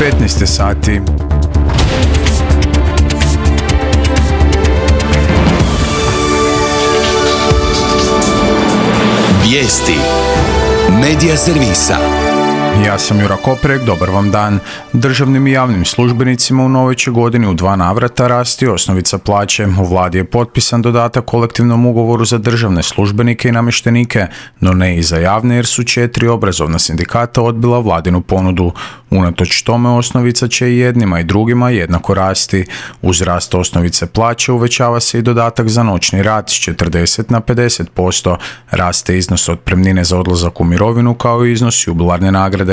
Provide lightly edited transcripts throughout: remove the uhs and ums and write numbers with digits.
15 sati. Vijesti Medija servisa. Ja sam Jura Koprek, dobar vam dan. Državnim i javnim službenicima u novoj će godini u 2 navrata rasti osnovica plaće. U vladi je potpisan dodatak kolektivnom ugovoru za državne službenike i namještenike, no ne i za javne jer su 4 obrazovna sindikata odbila vladinu ponudu. Unatoč tome osnovica će i jednima i drugima jednako rasti. Uz rast osnovice plaće uvećava se i dodatak za noćni rad s 40 na 50%. Raste iznos otpremnine za odlazak u mirovinu kao i iznos jubilarne nagrade.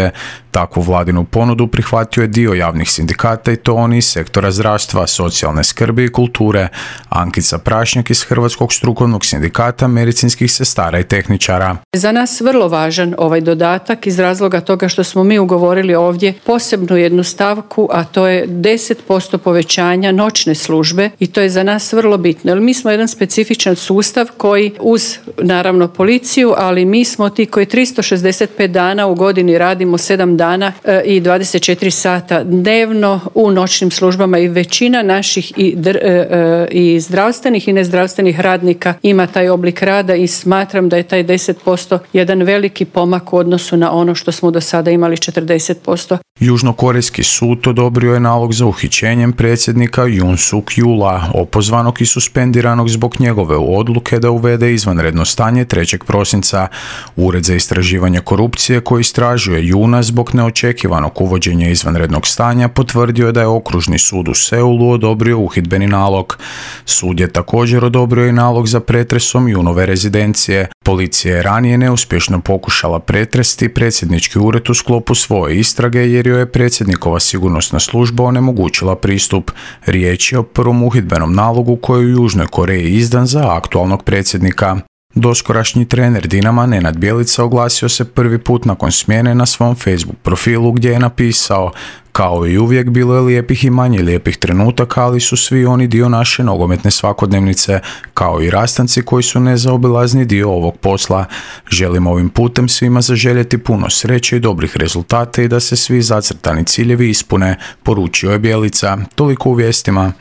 Takvu vladinu ponudu prihvatio je dio javnih sindikata i to oni iz sektora zdravstva, socijalne skrbi i kulture. Ankica Prašnjak iz Hrvatskog strukovnog sindikata medicinskih sestara i tehničara. Za nas vrlo važan ovaj dodatak iz razloga toga što smo mi ugovorili ovdje posebnu jednu stavku, a to je 10% povećanja noćne službe i to je za nas vrlo bitno. Jer mi smo jedan specifičan sustav koji uz naravno policiju, ali mi smo ti koji 365 dana u godini radimo 7 dana i 24 sata dnevno u noćnim službama i većina naših i zdravstvenih i nezdravstvenih radnika ima taj oblik rada i smatram da je taj 10% jedan veliki pomak u odnosu na ono što smo do sada imali 40%. Južnokorejski sud odobrio je nalog za uhićenjem predsjednika Yoon Suk Yeola, opozvanog i suspendiranog zbog njegove odluke da uvede izvanredno stanje 3. prosinca. Ured za istraživanje korupcije koji istražuje Yoona zbog neočekivanog uvođenja izvanrednog stanja potvrdio je da je okružni sud u Seulu odobrio uhidbeni nalog. Sud je također odobrio i nalog za pretresom Yoonove rezidencije. Policija je ranije neuspješno pokušala pretresti predsjednički ured u sklopu svoje istrage jer joj je predsjednikova sigurnosna služba onemogućila pristup. Riječ je o prvom uhidbenom nalogu koji je u Južnoj Koreji izdan za aktualnog predsjednika. Doskorašnji trener Dinama Nenad Bjelica oglasio se prvi put nakon smjene na svom Facebook profilu gdje je napisao: kao i uvijek bilo je lijepih i manje lijepih trenutaka, ali su svi oni dio naše nogometne svakodnevnice, kao i rastanci koji su nezaobilazni dio ovog posla. Želim ovim putem svima zaželjeti puno sreće i dobrih rezultata i da se svi zacrtani ciljevi ispune, poručio je Bjelica. Toliko u vijestima.